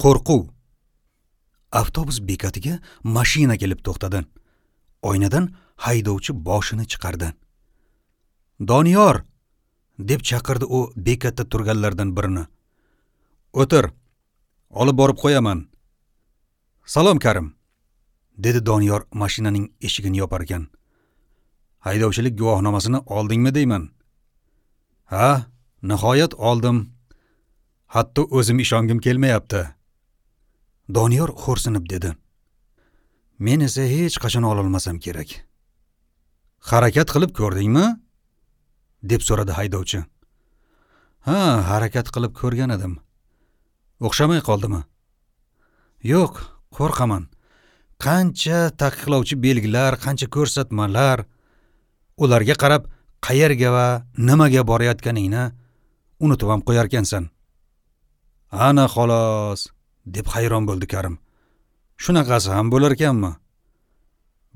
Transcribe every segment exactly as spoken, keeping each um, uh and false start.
Qo'rquv. Avtobus bekatiga mashina kelib to'xtadi. Oynadan haydovchi boshini chiqardi. "Doniyor!" deb chaqirdi u bekatda turganlardan birini. "O'tir, olib borib qo'yaman." "Salom Karim", dedi Doniyor mashinaning eshigini yopar ekan. "Haydovchilik guvohnomasini oldingmi deyman?" "Ha, nihoyat oldim. Hatto o'zim ishongim kelmayapti." Doniyor xo'rsinib dedi. "Men esa hech qachon ololmasam kerak." "Harakat qilib ko'rdingmi?" deb so'radi haydovchi. "Ha, harakat qilib ko'rgan edim. O'xshamay qoldimi?" "Yo'q, qo'rqaman. Qancha taqiqlovchi belgilar, qancha ko'rsatmalar, ularga qarab qayerga va nimaga borayotganingni unutib ham qo'yarkansan." "Ana xolos", deb hayron bo'ldi Karim. "Shunaqasi ham bo'lar ekanmi?"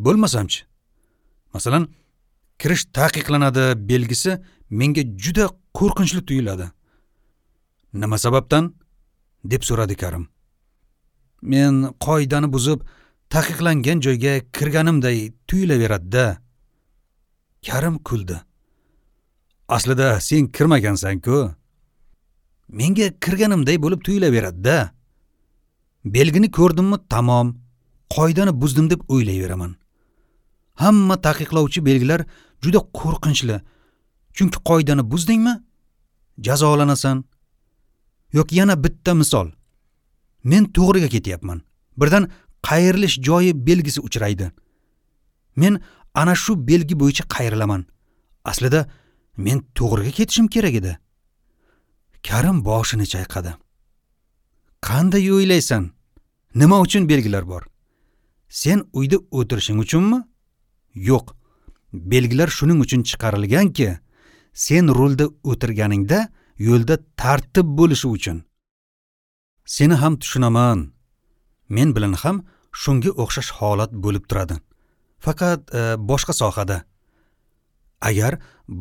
"Bo'lmasamchi? Masalan, kirish taqiqlanadi belgisi menga juda qo'rqinchli tuyuladi." "Nima sababdan?" deb so'radi Karim. "Men qoidani buzib taqiqlangan joyga kirganimday tuyulaveradi-da." Karim kuldi. "Aslida sen kirmagansan-ku." "Menga kirganimday bo'lib tuyulaveradi-da. Belgini ko'rdimmi, tamom, qoidani buzdim deb o'ylayveraman. Hamma taqiqlovchi belgilar juda qo'rqinchli. Chunki qoidani buzdingmi, jazolanasan. Yoki yana bitta misol. Men to'g'riga ketyapman. Birdan qayrilish joyi belgisi uchraydi. Men ana shu belgi bo'yicha qayrilaman. Aslida men to'g'riga ketishim kerak edi." Karim boshini chayqadi. "Qanday o'ylaysan? Nima uchun belgilar bor? Sen uyda o'tirishing uchunmi? Yo'q. Belgilar shuning uchun chiqarilganki, sen rulda o'tirganingda yo'lda tartib bo'lishi uchun. Seni ham tushunaman. Men bilan ham shunga o'xshash holat bo'lib turadi. Faqat e, boshqa sohada. Agar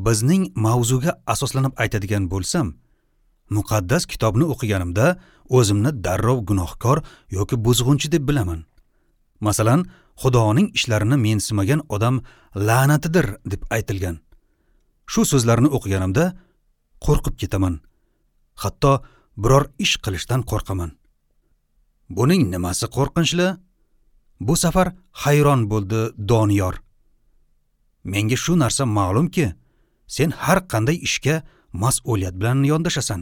bizning mavzuga asoslanib aytadigan bo'lsam, muqaddas kitobni o'qiganimda o'zimni darrov gunohkor yoki buzg'unchi deb bilaman. Masalan, Xudoning ishlarini mensimagan odam la'natidir deb aytilgan. Shu so'zlarni o'qiganimda qo'rqib ketaman. Hatto biror ish qilishdan qo'rqaman." "Buning nimasi qo'rqinchli?" Bu safar hayron bo'ldi Doniyor. "Menga shu narsa ma'lumki, sen har qanday ishga mas'uliyat bilan yondashasan."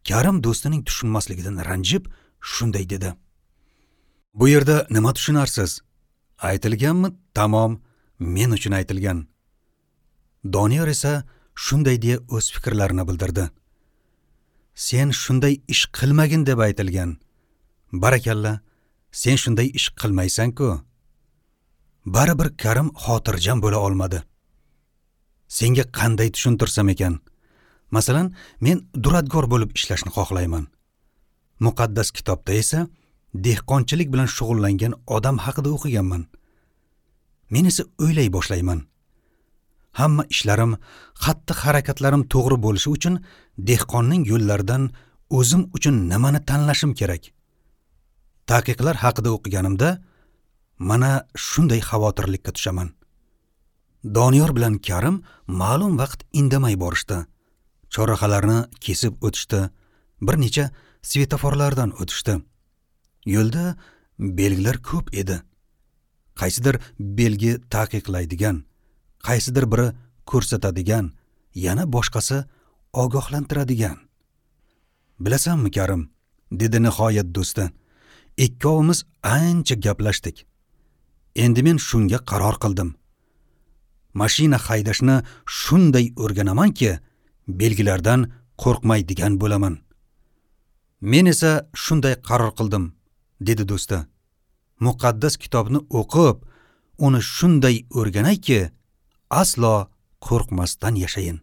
Karim do'stining tushunmasligidan ranjib shunday dedi. "Bu yerda nima tushunarsiz? Aytilganmi, tamom, men uchun aytilgan." Doniyor esa shunday deya o'z fikrlarini bildirdi. "Sen shunday ish qilmagin deb aytilgan. Barakalla, sen shunday ish qilmaysan-ku." Baribir Karim xotirjam bo'la olmadi. "Senga qanday tushuntirsam ekan? Masalan, men duradgor bo'lib ishlashni xohlayman. Muqaddas kitobda esa dehqonchilik bilan shug'ullangan odam haqida o'qiganman. Men esa o'ylay boshlayman. Hamma ishlarim, xatti-harakatlarim to'g'ri bo'lishi uchun dehqonning yo'llaridan o'zim uchun nimani tanlashim kerak? Taqiqlar haqida o'qiganimda mana shunday xavotirlikka tushaman." Doniyor bilan Karim ma'lum vaqt indamay borishdi. Chorrahalarni kesib o'tishdi, bir necha svetoforlardan o'tishdi. Yo'lda belgilar ko'p edi. Qaysidir belgi taqiqlaydigan, qaysidir biri ko'rsatadigan, yana boshqasi ogohlantiradigan. "Bilasanmi, Karim", dedi nihoyat do'sti. "Ikkovimiz ancha gaplashdik. Endi men shunga qaror qildim. Mashina haydashni shunday o'rganamanki, belgilardan qo'rqmaydigan bo'laman." "Men esa shunday qaror qildim", dedi do'sti. "Muqaddas kitobni o'qib, uni shunday o'rganayki, aslo qo'rqmasdan yashayin."